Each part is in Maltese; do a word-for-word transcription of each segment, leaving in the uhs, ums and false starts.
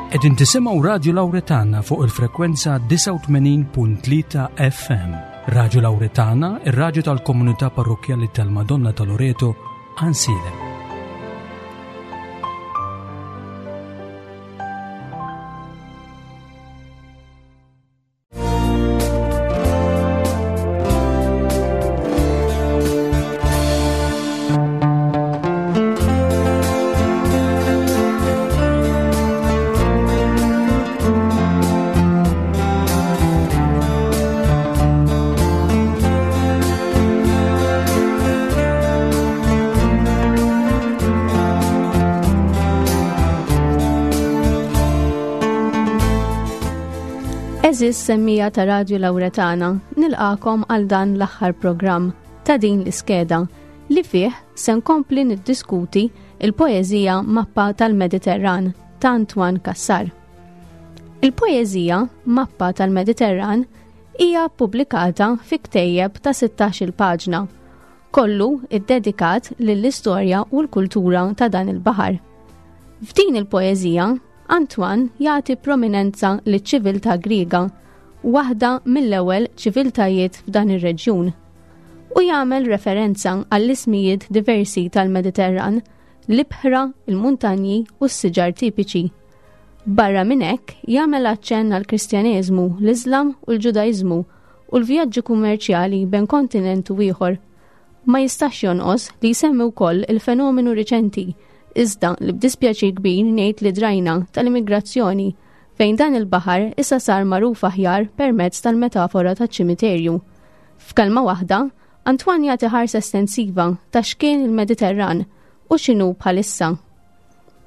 Qegħdin tisimgħu Radio Lauretana fuq il-frekwenza disgħa u tmenin punt tlieta F M. Radio Lauretana, ir-radju tal-komunità parrokjali tal-Madonna ta' Loreto, Għajnsielem. Għeżież semmiegħa ta' Radju Lauretana, nilqagħkom għal dan l-aħħar programm ta' din l-iskeda li fih se nkompli niddiskuti il-poeżija Mappa tal-Mediterran ta' Antoine Cassar. Il-poeżija Mappa tal-Mediterran hija pubblikata fi ktejjeb ta' sittax-il paġna, kollu iddedikat lill-istorja u l-kultura ta' dan il-baħar. F'din il-poeżija Antoine jagħti prominenza liċ-ċiviltà Griega, waħda mill-ewwel ċiviltajiet f'dan ir-reġjun. U jagħmel referenza għall-ismijiet diversi tal-Mediterran, l-ibħra, il-muntanji u s-siġar tipiċi. Barra minn hekk jagħmel aċċenn għall-Kristjaneżmu, l-Iżlam u l-Ġudaiżmu u l-vjaġġi kummerċjali bejn kontinent u ieħor. Ma jistax jonqos li jsemmi wkoll il-fenomenu riċenti, iżda li b'dispjaċir kbir ngħid li drajna, tal-immigrazzjoni, fejn dan il-baħar issa sar magħruf aħjar permezz tal-metafora taċ-ċimiterju. F'kelma waħda, Antoine jagħti ħarsa estensiva ta' x'kien il-Mediterran u x'inhu bħalissa.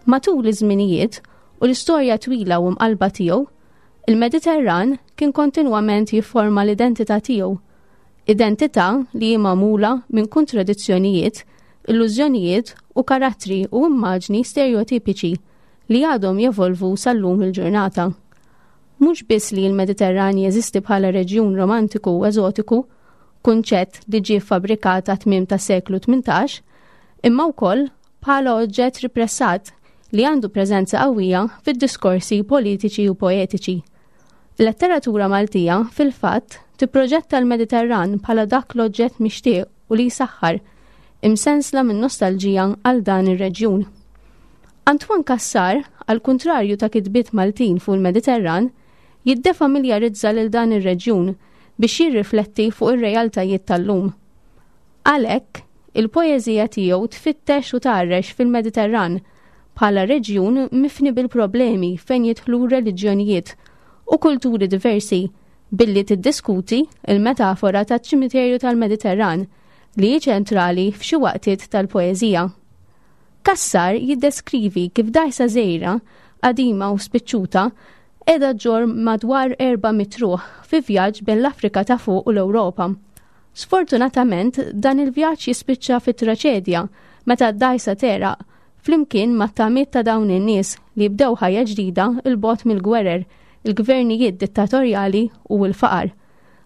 Matul iż-żminijiet u l-istorja twila u mqalba tiegħu, il-Mediterran kien kontinwament jifforma l-identità tiegħu. Identità li hi magħmula minn kontradizzjonijiet, illużjonijiet u karattri u immaġni stereotipiċi li għadhom jevolvu sal-lum il-ġurnata. Mhux biss li l-Mediterran jeżisti bħala reġjun romantiku u eżotiku, kunċett li ġie fabbrikat tmiem ta' seklu tmintax, imma wkoll bħala oġġett ripressat li għandu preżenza qawwija fid-diskorsi politiċi u poetiċi. Letteratura Maltija fil-fatt tipproġetta l-Mediterran bħala dak l-oġġett mixtieq u li jsaħħar, imsensla minn nostalġija għal dan ir-reġjun. Antoine Cassar, għal kuntrarju ta' kitbiet Maltin fuq il-Mediterran, jiddefamiljarizza lil dan ir-reġjun biex jirrifletti fuq ir-realtajiet tal-lum. Għalhekk, il-poeżija tiegħu tfittex u tgħarrex fil-Mediterran bħala reġjun mifni bil-problemi fejn jidħlu reliġjonijiet u kulturi diversi, billi tiddiskuti il-metafora taċ-ċimiterju tal-Mediterran li hi ċentrali f'xi waqtiet tal-poeżija. Cassar jiddeskrivi kif dgħajsa żgħira, qadima u spiċċuta, qiegħda ġġorr madwar erba' mitt ruħ fi vjaġġ bejn l-Afrika ta' fuq u l-Ewropa. Sfortunatament, dan il-vjaġġ jispiċċa fi traċedja meta d-dgħajsa tegħraq flimkien mat-tamiet ta' dawn in-nies li jibdew ħajja ġdida 'l bogħod mill-gwerer, il-gvernijiet dittatorjali u l-faqar.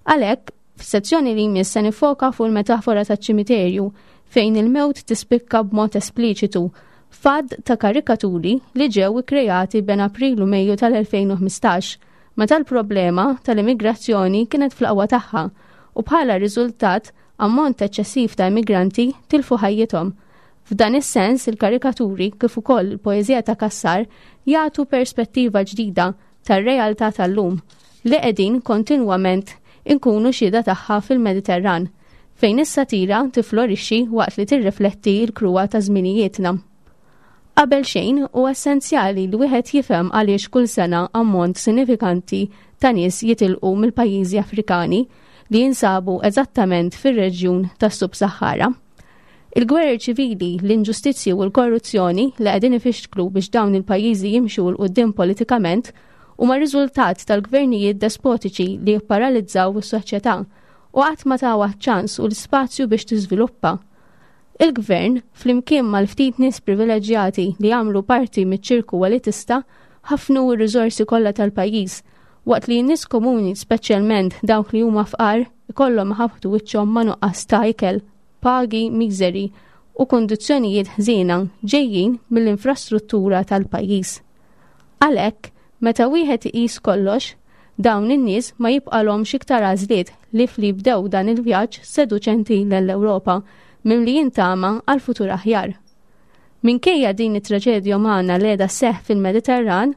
Għalhekk, f'sezzjoni li jmiss se nifoka fuq il-metafora taċ-ċimiterju, fejn il-mewt tispikka b'mod espliċitu f'għadd ta' karikaturi li ġew ikkreati bejn April u Mejju tal-elfejn u ħmistax, meta l-problema tal-immigrazzjoni kienet fl-aqwa tagħha u bħala riżultat ammont eċċessiv ta' immigranti tilfu ħajjithom. F'dan is-sens, il-karikaturi kif ukoll il-poeżija ta' Cassar jagħtu perspettiva ġdida tar-realtà tal-lum li qegħdin kontinwament inkunu xhieda tagħha fil-Mediterran, fejn is-satira tiflorixxi waqt li tirrifletti l-kruha ta' żminijietna. Qabel xejn, hu essenzjali li wieħed jifhem għaliex kull sena ammont sinifikanti ta' nies jitilqu mill-pajjiżi Afrikani li jinsabu eżattament fir-reġjun tas-Sub-Sahara. Il-gwerer ċivili, l-inġustizzji u l-korruzzjoni li qegħdin ifixklu biex dawn il-pajjiżi jimxu 'l quddiem politikament huma riżultat tal-gvernijiet despotiċi li jipparalizzaw is-soċjetà u qatt ma tawha ċans u l-spazju biex tiżviluppa. Il-gvern, flimkien mal-ftit nies privileġġjati li jagħmlu parti miċ-ċirku elitista, ħafnu r-riżorsi kollha tal-pajjiż, waqt li n-nies komuni, speċjalment dawk li huma fqar, ikollhom iħabbtu wiċċhom ma' nuqqas ta' ikel, pagi miżeri u kondizzjonijiet ħżiena ġejjin mill-infrastruttura tal-pajjiż. Għalhekk, Meta wieħed iqis kollox, dawn in-nies ma jibqalhomx iktar għażliet ħlief li jibdew dan il-vjaġġ seduċenti l-Ewropa mimlijin tama għal futur aħjar. Minkejja din it-traġedja umana li qiegħda sseħħ fil-Mediterran,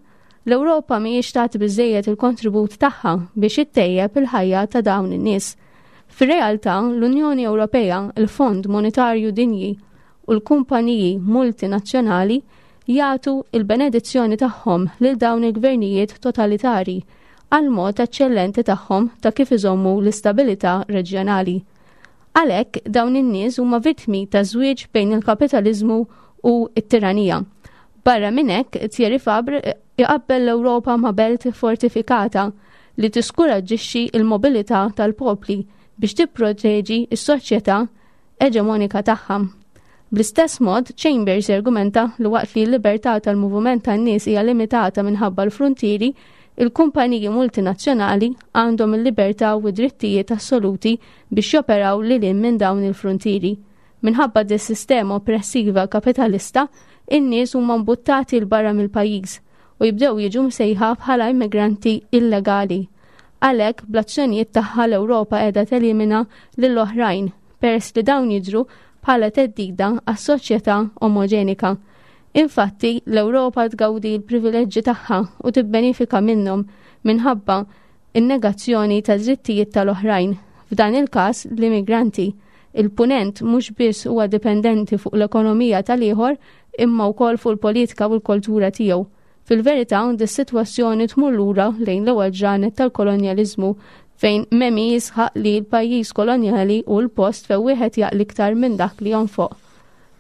l-Ewropa mhijiex tagħti biżejjed il-kontribut tagħha biex ittejjeb il-ħajja ta' dawn in-nies. Fir-realtà, l-Unjoni Ewropea, il-Fond Monetarju Dinji u l-kumpaniji multinazzjonali jagħtu il-benedizzjoni tagħhom lil dawn il-gvernijiet totalitari għal mod eċċellenti tagħhom ta' kif iżommu l-istabilità reġjonali. Għalhekk dawn in-nies huma vittmi ta' żwieġ bejn il-kapitaliżmu u t-tiranija. Barra minn hekk, Thierry Fabre iqabbel l-Ewropa ma' belt fortifikata li tiskuraġġixxi il-mobilità tal-popli biex tipproteġi s-soċjetà eġemonika tagħha. Bl-istess mod, Chambers argumenta li waqt li l-libertà tal-moviment tan-nies hija limitata minħabba l-frontieri, il-kumpaniji multinazzjonali għandhom il-libertà u drittijiet assoluti biex joperaw lil hinn minn dawn il-frontieri. Minħabba dis-sistema oppressiva kapitalista, in-nies huma mbuttati 'l barra mill-pajjiż u jibdew jiġu msejħa bħala immigranti illegali. Għalhekk bl-azzjonijiet tagħha l-Ewropa qiegħda telimina lill-oħrajn peress li dawn jidhru bħala theddida għas-soċjetà omoġenika. Infatti, l-Ewropa tgawdi l-privileġġi tagħha u tibbenifika minnhom minħabba in-negazzjoni ta' drittijiet tal-oħrajn. F'dan il-każ l-immigranti. Il-punent mhux biss huwa dipendenti fuq l-ekonomija tal-ieħor imma wkoll fuq il-politika u l-kultura tiegħu. Fil-verità, dis-sitwazzjoni tmur lura lejn l-ewwel ġranet tal-kolonjaliżmu fejn Memmi jisħaq li l-pajjiż kolonjali hu l-post fejn wieħed jaqla' iktar minn dak li jonfoq.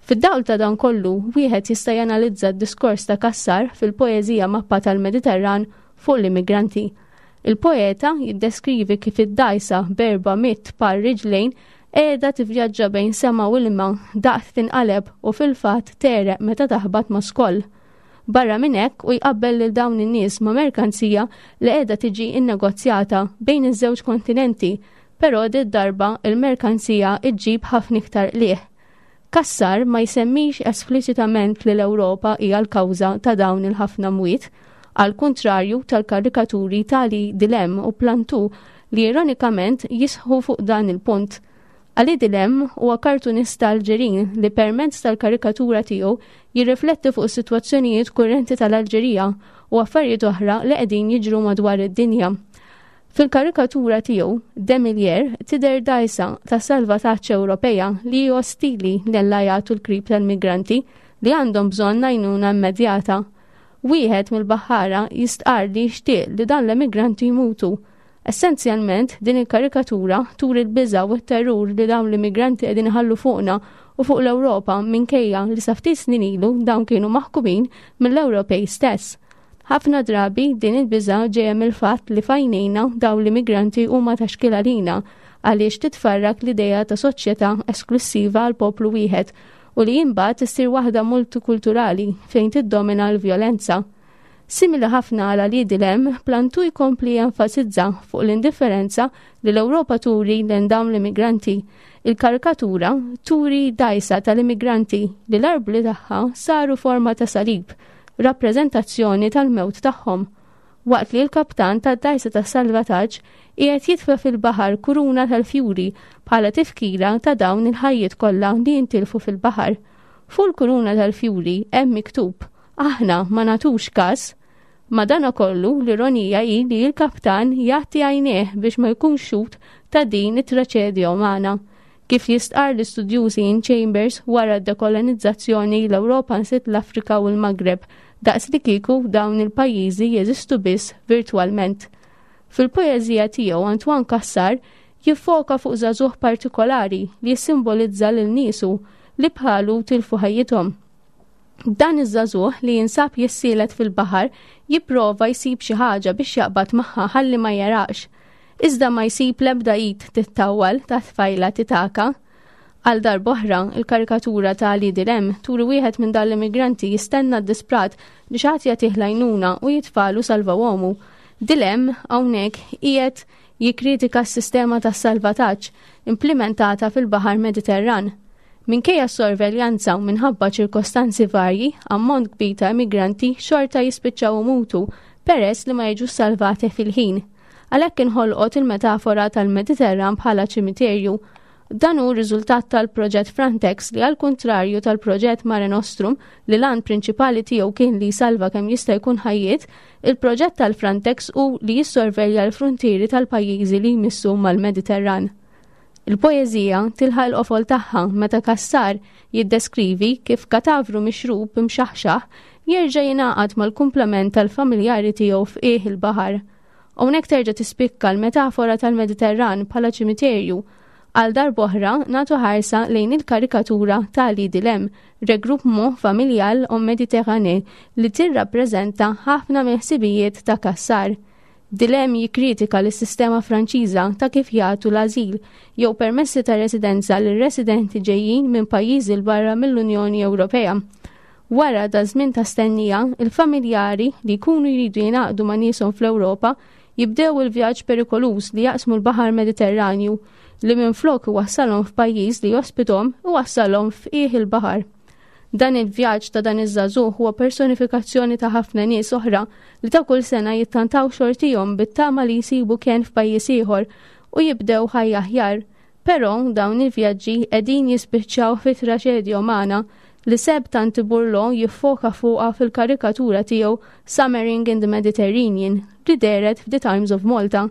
Fid-dawl ta' dan kollu, wieħed jista' janalizza d-diskors ta' Cassar fil-poeżija Mappa tal-Mediterran fuq l-immigranti. Il-poeta jiddeskrivi kif id-dajsa b'erba' mitt par riġlejn qiegħda tivvjaġġa bejn sema u ilma daqt tinqaleb u fil-fatt tegħreq meta taħbat ma' skoll. Barra minn hekk u jqabbel lil dawn in-nies ma' merkanzija li qiegħda tiġi innegozjata bejn iż-żewġ kontinenti, però darba il-merkanzija iġġib ħafna iktar qligħ. Cassar ma jsemmix espliċitament li l-Ewropa hija l-kawża ta' dawn il-ħafna mwiet, għal kontrarju tal-karikaturi ta' Ali Dilem u Plantu li ironikament jisħu fuq dan il-punt. Ali Dilem huwa kartunista Alġerin li permezz tal-karikatura tiegħu jirrifletti fuq is-sitwazzjonijiet kurrenti tal-Alġerija u affarijiet oħra li qegħdin jiġru madwar id-dinja. Fil-karikatura tiegħu, Demilier tidher dajsa ta' salvataġġ Ewropea li ostili lejn l-krib tal-migranti li għandhom bżonn għajnuna immedjata. Wieħed mill-baħħara jistqar li jixtieq li dan l-immigranti jmutu. Essenzjalment, din il-karikatura turi l-biża u t-terrur li dawn l-immigranti qegħdin iħallu fuqna u fuq l-Ewropa minkejja li sa ftit snin ilu dawn kienu maħkumin mill-Ewropej stess. Ħafna drabi din il-biża ġejja mill-fatt li f'għajnejna dawn l-immigranti huma ta' xkiel għalina għaliex titfarrak l-idea ta' soċjetà esklusiva għal poplu wieħed u li imbagħad issir waħda multikulturali fejn tiddomina l-vjolenza. Simili ħafna għal Ali Dilem, Plantu jkompli jenfasizza fuq l-indifferenza li l-Ewropa turi lejn dawn l-immigranti. Il-karikatura turi dajsa tal-immigranti li l-arbli tagħha saru forma ta' salib, rappreżentazzjoni tal-mewt tagħhom. Waqt li l-kaptan tad-dajsa ta' salvataġġ qiegħed jitfa' fil-baħar kuruna tal-fjuri bħala tifkira ta' dawn il-ħajjiet kollha li jintilfu fil-baħar. Fuq il-kuruna tal-fjuri hemm miktub: "Aħna ma nagħtux kas." Madana kollu l-ironija hi li l-kaptan jagħti għajnejh biex ma jkunx xhud ta' din it-traċedja umana. Kif jistqar l-istudjuż Ian Chambers, wara d-dekolonizzazzjoni l-Ewropa nsiet l-Afrika u l-Magreb daqs li kieku dawn il-pajjiżi jeżistu biss virtualment. Fil-poeżija tiegħu Antoine Cassar jiffoka fuq żagħżugħ partikolari li jissimbolizza lil niesu li bħalu tilfu ħajjithom. Dan iż-żagħżugħ li jinsab jissielet fil-baħar jipprova jsib xi ħaġa biex jaqbad magħha ħalli ma jegħraqx. Iżda ma jsib l-ebda id tittawwal ta' tfajla titaka. Għal darb'oħra, il-karikatura ta' Ali Dilem turi wieħed minn dan l-immigranti jistenna disprat li xi ħadd jagħtih l-għajnuna u jitfalu salvawomu. Dilem hawnhekk qiegħed jikkritika s-sistema tas salvataġġ implementata fil-Baħar Mediterran. Minkejja s-sorveljanza u minħabba ċirkostanzi varji, ammont kbir ta' immigranti xorta jispiċċaw imutu peress li ma jiġux salvati fil-ħin. Għalhekk inħolqot il-metafora tal-Mediterran bħala ċimiterju. Dan hu riżultat tal-proġett Frontex li għal kontrarju tal-proġett Mare Nostrum li l-għan prinċipali tiegħu kien li jsalva kemm jista' jkun ħajjiet, il-proġett tal-Frontex hu li jissorvelja l-frontieri tal-pajjiżi li jmissu mal-Mediterran. Il-poeżija tilħaq il-qofol tagħha meta Cassar jiddeskrivi kif katavru mixrub imxaħxaħ jerġa' jingħaqad mal-kumplament tal-familjari tiegħu f'qiegħ il-baħar. Hawnhekk terġa' tispikka l-metafora tal-Mediterran bħala ċimiterju. Għal darb'oħra nagħtu ħarsa lejn il-karikatura ta' Ali Dilem, Regroupement Familial en Méditerranée, li tirrappreżenta ħafna mill-ħsibijiet ta' Cassar. Dilem jikkritika lis-sistema Franċiża ta' kif jagħtu l-ażil jew permessi ta' residenza lil residenti ġejjin minn pajjiżi 'l barra mill-Unjoni Ewropea. Wara da żmien ta' stennija, il-familjari li jkunu jridu jingħaqdu ma' nieshom fl-Ewropa jibdew il-vjaġġ perikoluż li jaqsmu l-Baħar Mediterranju li minflok iwassalhom f'pajjiż li jospitom iwassalhom f'qiegħ il-baħar. Dan il-vjaġġ ta' dan iż-żagħżugħ huwa personifikazzjoni ta' ħafna nies oħra li ta' kull sena jittantaw xortihom bit-tama li jsibu kenn f'pajjiż ieħor u jibdew ħajja aħjar. Però dawn il-vjaġġi qegħdin jispiċċaw fi traċedja umana li Seb Tanti Bourlon jiffoka fuqha fil-karikatura tiegħu Summering in the Mediterranean li dehret f'The Times of Malta.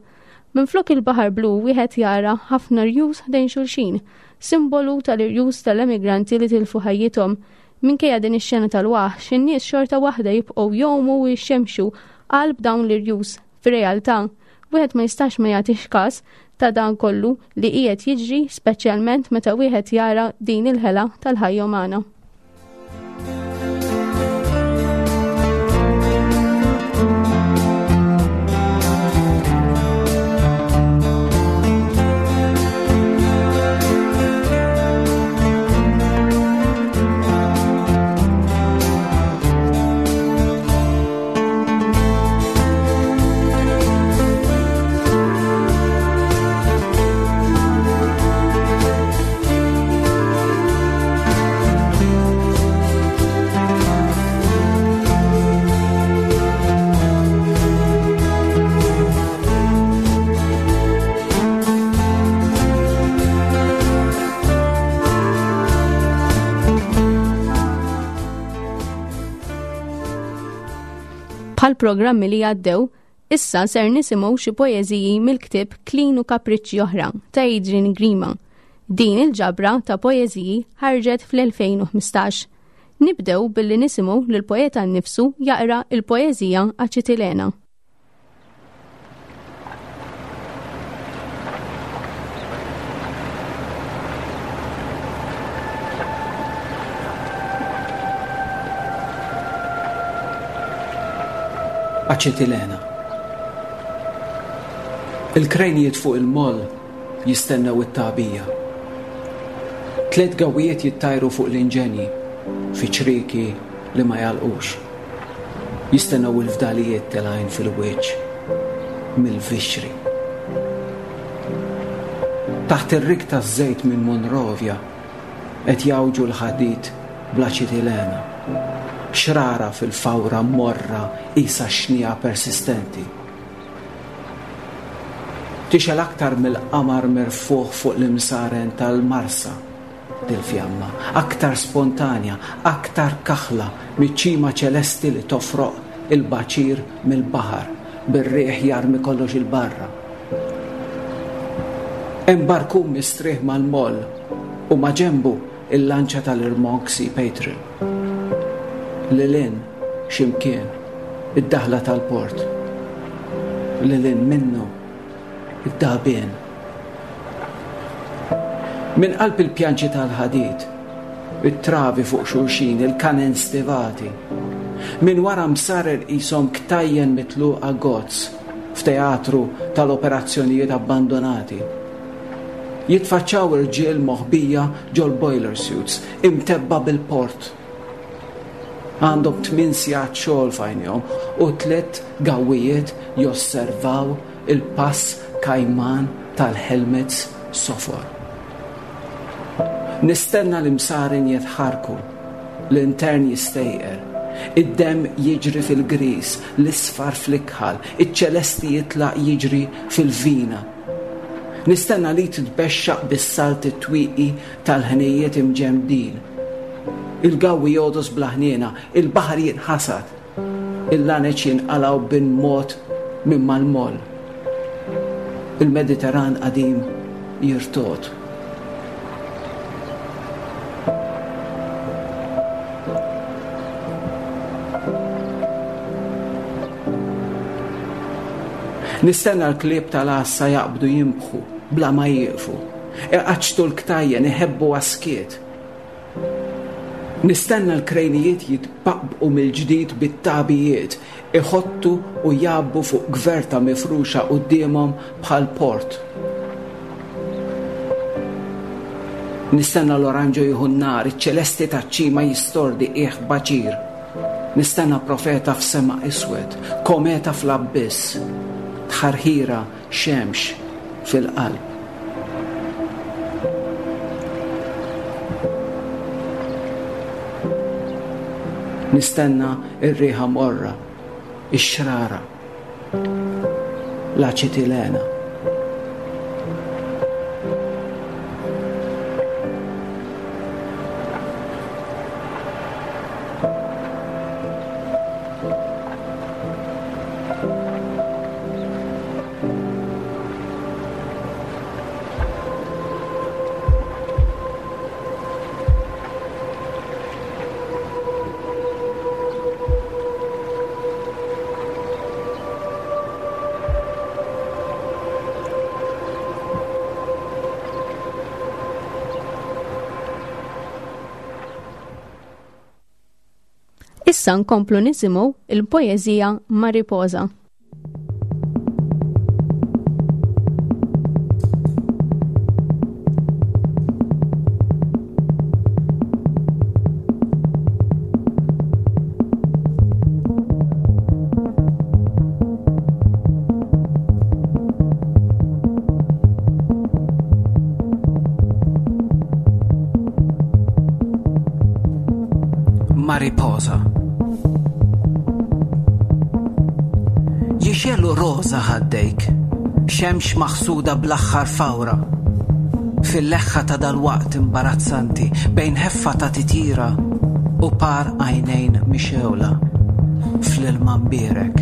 Minflok il-baħar blu wieħed jara ħafna rjus ħdejn xulxin, simbolu tal-irjus tal-emigranti li tilfu ħajjithom. Minkejja din ix-xena tal-waħx, in-nies xorta waħda jibqgħu jgħumu u jixxemxu qalb dawn l-irjus. Fir-realtà, wieħed ma jistax ma jagħtix każ ta' dan kollu li qiegħed jiġri, speċjalment meta wieħed jara din il-ħela tal-ħajja umana. Bħal programmi li għaddew, issa ser nisimgħu xi poeżiji mill-ktieb Klin u Kapriċċi Oħra ta' Adrian Grima. Din il-ġabra ta' poeżiji ħarġet fl-elfejn u ħmistax. Nibdew billi nisimgħu lill-poeta nnifsu jaqra il-poeżija Aċitilena. Aċetilena. Il-krejnijiet fuq il-moll jistennew it-tagħbija. Tliet gawijiet jittajru fuq l-inġenji fi ċriki li ma jalqux. Jistennew il-fdalijiet telgħin fil-wiċċ mill-vixri. Taħt ir-rig taż-żejt minn Monrovia qed jawġu l-ħadid bl-aċetilena. Xrara fil-fawra morra isa xnija persistenti. Tixel aktar mill-qamar merfuħ fuq l-imsaren tal-Marsa dil-fjamma, aktar spontanja, aktar kaħla miċ-ċima ċelesti li tofroq il-baċir mill-baħar bir-riħ jarmi kollox il-barra. Hemm barkun mistrieħ mal-moll u ma' ġembu il-lanċa tal-Irmonk Sea Patron. Lilin ximkien id-daħla tal-port. Lilin minnu id-dabien. Min qalb il-pjanċi tal-ħadid, it-travi fuq xulxin, il-kanen stivati. Min wara msarer qishom ktajjen mitluqa gozz f'teatru tal-operazzjonijiet abbandonati. Jitfaċċaw irġiel moħbija ġol-boiler suits, imtebba bil-port. Għandhom tmien sigħat xogħol f'għajnihom u tliet gawijiet josservaw il-pass kajman tal-helmets sofor. Nistenna l-imsarin jitħarku, l-intern jistejqer, Id-demm jiġri fil-gris, l-isfar fl-ikħal, iċ-ċelesti jitlaq jiġri fil-vina. Nistenna li titbexxaq bis-salt it-twieqi tal-ħnejjiet imġemdin. Il-gawwi jogħdos bla ħniena, il-baħar jinħasad, il-laneċ jinqalgħu bin-mod minn mal-moll. Il-Mediterran qadim jirtogħod. Nistenna l-klieb tal-għassa jaqbdu jinbħu bla ma jieqfu. Iqaċċtu l-ktajjen iħebbu għas-skiet. Nistenna l-krejnijiet jitbaqbqu mill-ġdid bit-tabijiet, iħottu u jgħabbu fuq gverta mifruxa quddiemhom bħal port. Nistenna l-oranġo jieħu n-nar, iċ-ċelesti taċ-ċima jistordi qiegħ baċir. Nistenna profeta f'sema iswed, kometa fl-abbiss, tħarħira xemx fil-qalb. Nistenna ir-riħa morra, ix-xrara, l-aċetilena. Issa nkomplu nisimgħu il-poeżija Mariposa. Mariposa. Jixelu roża ħaddejk, xemx maħsuda bl-aħħar fawra. Fil-leħħa ta' dal-waqt imbarazzanti, bejn ħeffa ta' titjira u par għajnejn mixewla fl-ilma mbierek.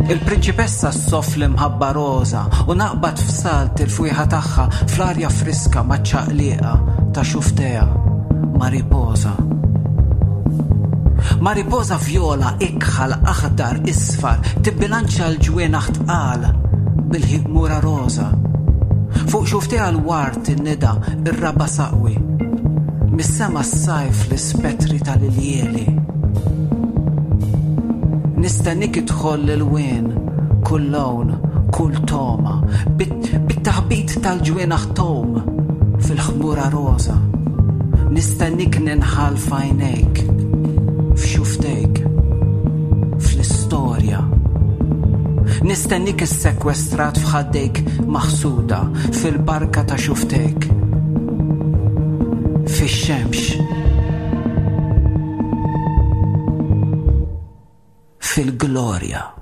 Il-prinċipessa ssoff l-imħabba roża u naqbad f'salt il-fwieħa tagħha fl-arja friska maċ-ċaqliqa ta' xuftejha. Mariposa. Mariposa vjola, ikħal, aħdar, isfar, tibbilanċa l-ġwienaħ tqal bil-ħmura roża. Fuq xuftejha l-ward in-nida, ir-raba saqwi. Mis-sema s-sajf l-ispettri tal-iljieli. Nistennik idħol l-wien, kull lawn, kull toma, bit-taħbit tal-ġwienaħ tom fil-ħmura roża. Nistennik ninħal f'għajnejk, f'xuftejk, fl-istorja. Nistennik issekwestrat f'ħaddejk maħsuda, fil-barka ta' xuftejk, fix-xemx, fil-glorja.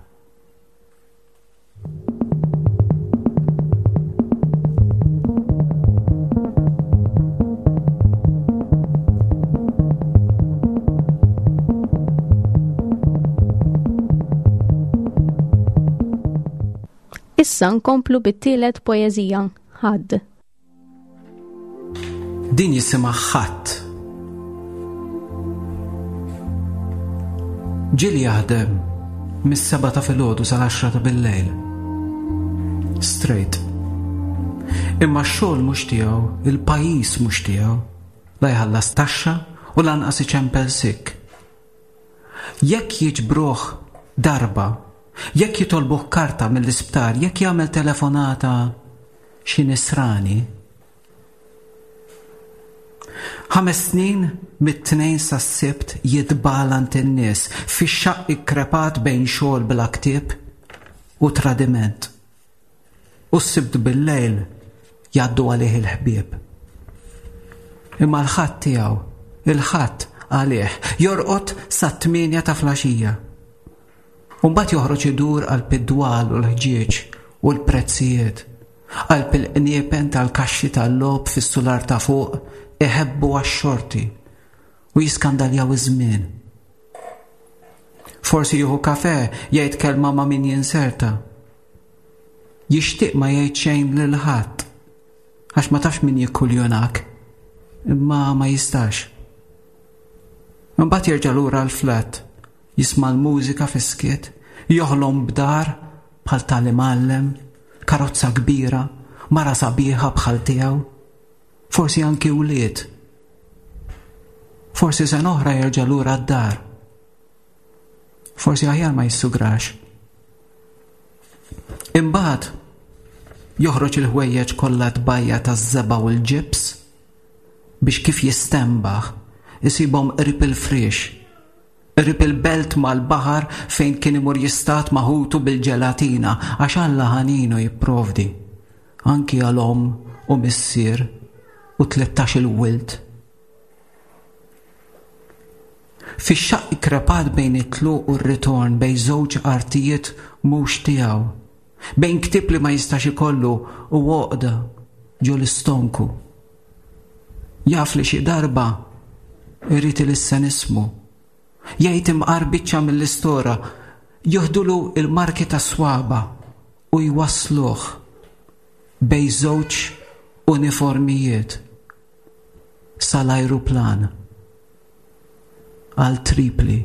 Issa nkomplu bit-tielet poeżija, Ħadd. Din jisimha Ħadd. Ġieli jaħdem mis-seba' ta' filgħodu sal-għaxra ta' bil-lejl. Straight. Imma x-xogħol mhux tiegħu, il-pajjiż mhux tiegħu, la jħallas taxxa u lanqas iċempel sikk. Jekk jiġbruh darba, jekk jitolbuh karta mill-isptar, jekk jagħmel telefonata xi nisrani. Ħames snin mit-tnejn sas-Sibt jitbalant in-nies fix-xaqq ikkrepat bejn xogħol bla ktieb u tradiment. U s-Sibt bil-lejl jgħaddu għalih il-ħbieb. Imma l-ħadd tiegħu, il-ħadd għalih, jorqod sat-tmienja ta' filgħaxija. U mbagħad joħroġ idur qalb id-dwal u l-ħġieġ u l-prezzijiet, qalb il-qniepen tal-kaxxi tal-logħob fis-sular ta' fuq iħebbu għax-xorti u jiskandaljaw iż-żmien. Forsi jieħu kafè, jgħid kelma ma' min jinserta. Jixtieq ma jgħid xejn lil ħadd, għax ma tafx min jikkuljonak, imma ma jistax. Imbagħad jerġa' lura l-flat, jisma' l-mużika fis-skiet, joħlom b'dar bħal tal-imgħallem, karozza kbira, mara sabiħa bħal tiegħu, forsi anki wlied. Forsi sena oħra jerġa' lura d-dar. Forsi aħjar ma jissugrax. Imbagħad joħroġ il-ħwejjeġ kollha tbajja taż-żebgħa u l-ġibs biex kif jistenbaħ isibhom qrib il-friex, qrib il-belt mal-baħar fejn kien imur jistad ma' ħutu bil-ġelatina, għax Alla ħaninu jipprovdi anki għal omm u missier u tlettax-il wild. Fix-xaqq krepat bejn it-tluq u r-ritorn, bejn żewġ artijiet mhux tiegħu, bejn ktieb li ma jistax ikollu u għoqda ġo l-istonku. Jaf li xi darba irid ilissen ismu, jgħid imqar biċċa mill-istora, joħdulu il-marki ta' swaba u jwassluh bejn żewġ uniformijiet sal-ajruplan għal Tripli.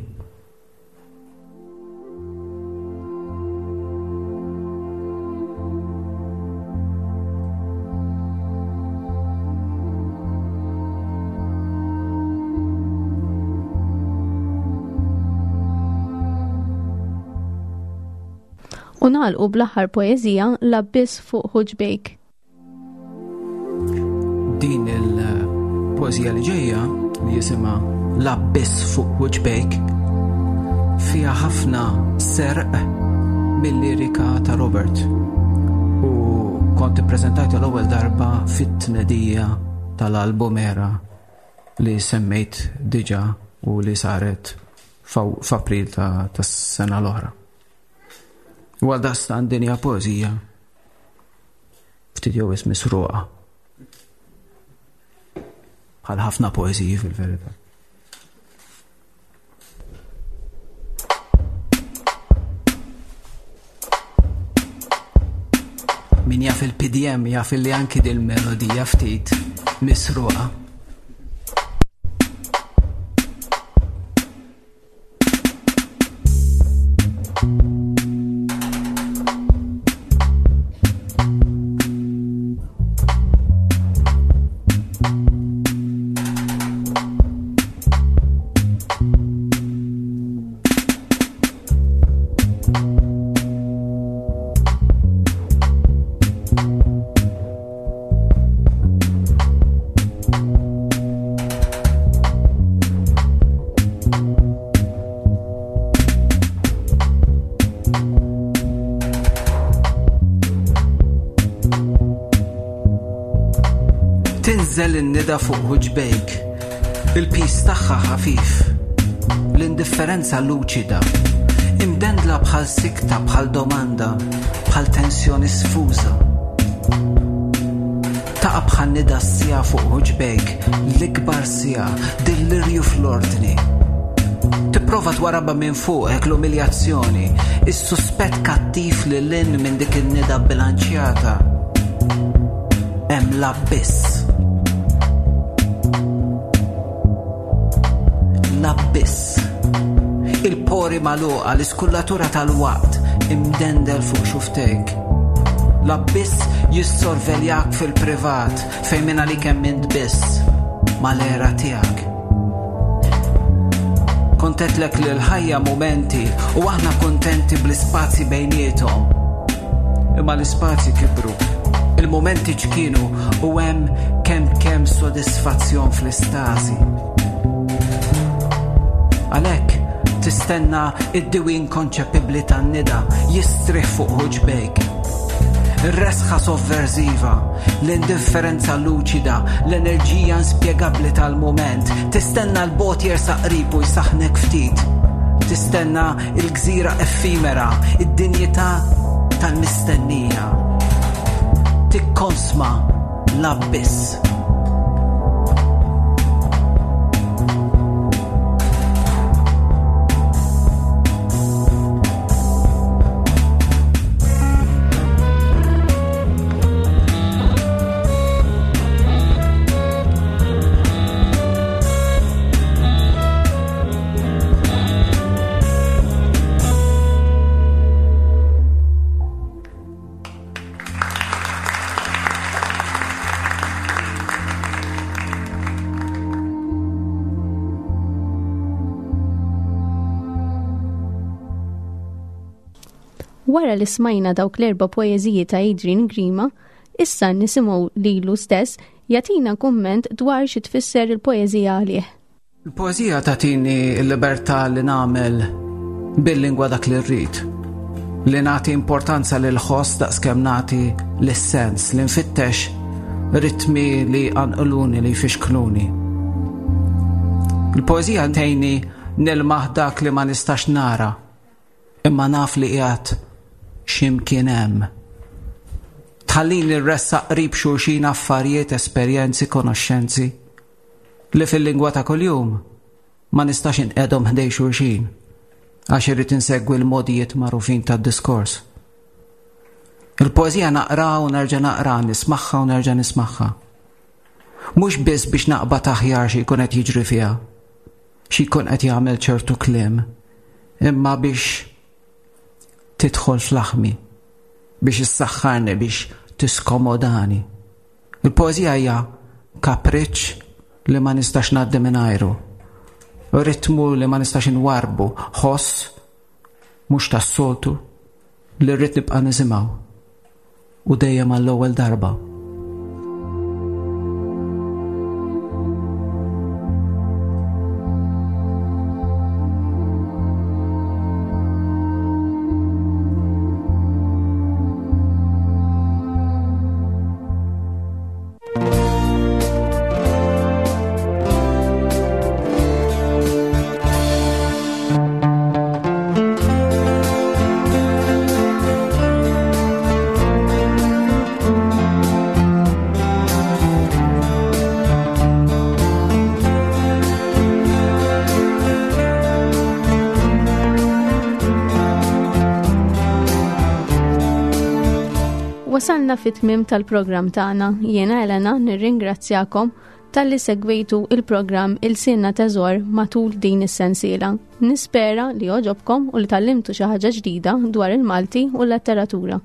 U nagħlqu bl-aħħar poeżija L-Abbiss fuq Ħuġbejk. Din il-poeżija li ġejja li jisimha L-Abbiss fuq Ħuġbejk fiha ħafna serq mill-lirika ta' Robert u kont ippreżentajta l-ewwel darba fit-tnedija tal-album Era li semmejt diġà u li saret f'April tas-sena l-oħra. U għal daqstant din hija poeżija ftit jew wisq misruqa. Bħal ħafna poeżiji fil-verità. Min jaf il-P D M jaf li anki dil-melodija ftit misruqa. Tinżel in-nida fuq ħuġbejk, il-pis tagħha ħafif, l-indifferenza luċida, imdendla bħal sikta, bħal domanda, bħal tensjoni sfuża. Taqa' bħal nida s-sija fuq ħuġbejk, l-ikbar sija, dillirju fl-ordni. Tipprova twarabha minn fuqek l-umiljazzjoni, is-suspett kattiv li lin minn dik in-nida bilanċjata. Hemm l-abbiss. L-abbiss. Il-pori magħluqa, l-iskullatura tal-waqt imdendel fuq xuftejk. L-abbiss jissorveljak fil-privat fejn minn għalik hemm int biss mal-era tiegħek. Kontetlek li l-ħajja mumenti u aħna kontenti bl-ispazji bejniethom. Imma l-ispazji kibru, il-mumenti ċkienu u hemm kemm kemm sodisfazzjon fl-istasi. Għalhekk tistenna id-diwi inkonċepibbli tan-nida jistrieħ fuq ħuġbejk. Ir-resħa sovversiva, l-indifferenza luċida, l-enerġija inspjegabbli tal-mument, tistenna l-bot jersaq qrib u jsaħnek ftit. Tistenna il-gżira effimera, id-dinjità tal-mistennija. Tikkonsma l-abbiss. Wara li smajna dawk l-erba' poeżiji ta' Adrian Grima, issa nisimgħu lilu stess jagħtina kumment dwar xi tfisser il-poeżija għalih. Il-poeżija tagħtini l-libertà li nagħmel bil-lingwa dak li rrid. Li nagħti importanza lil ħoss daqskemm nagħti lis-sens, li nfittex ritmi li jqanqluni, li jfixkluni. Il-poeżija tgħinni nilmaħ dak li ma nistax nara, imma naf li qiegħed x'imkien hemm. Tħallini rressaq qrib xulxin affarijiet, esperjenzi, konoxxenzi li fil-lingwa ta' kuljum ma nistax inqedhom ħdej xulxin għax irrid insegwi l-modijiet magħrufin tad-diskors. Il-poeżija naqra u nerġa' naqra, nismagħha u nerġa' nismagħha. Mhux biss biex naqbad aħjar xi jkun qed jiġri fiha, xi jkun qed jagħmel ċertu kliem, imma biex tidħol fl-aħmi, biex issaħħarni, biex tiskomodani. Il-poeżija hija kapriċċ li ma nistax ngħaddi mingħajru, ritmu li ma nistax inwarbu, ħoss mhux tas-soltu li rrid nibqa' nisimgħu u dejjem għall-ewwel darba. Wasalna fit-tmiem tal-programm tagħna. Jiena Elena nirringrazzjakom talli segwejtu il-programm Ilsienna Teżor matul din is-sensiela. Nispera li għoġobkom u li tgħallimtu xi ħaġa ġdida dwar il-Malti u l-letteratura.